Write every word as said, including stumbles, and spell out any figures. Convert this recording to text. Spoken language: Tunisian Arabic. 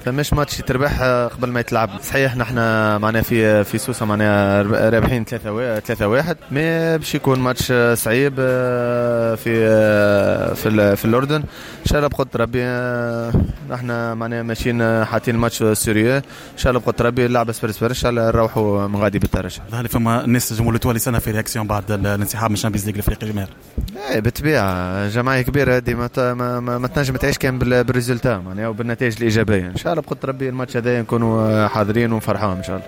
فماش ماتش يتربح قبل ما يتلعب. صحيح نحن معناها في في سوسة معناها رابحين ثلاثة ثلاثة واحد، mais باش يكون ماتش صعيب في في في الاردن. ان شاء الله بقدرة ربي نحن معناها ماشيين حاطين ال match sérieux. ان شاء الله بقدرة ربي اللعبة صفر صفر، ان شاء الله نروحوا من غادي بالترشح. ظهر لي فما الناس جمهور l'Étoile يستنى في réaction بعد الانسحاب من ال Champions League الافريقي جماهير. ايه بالطبيعه، جمعية كبيرة هذه ما, ما, ما, ما تنجم تعيش كان بال résultat معناها وبالنتائج الايجابيه. ان شاء الله بقدرة ربي الماتش هذا نكونوا حاضرين ونفرحوهم ان شاء الله.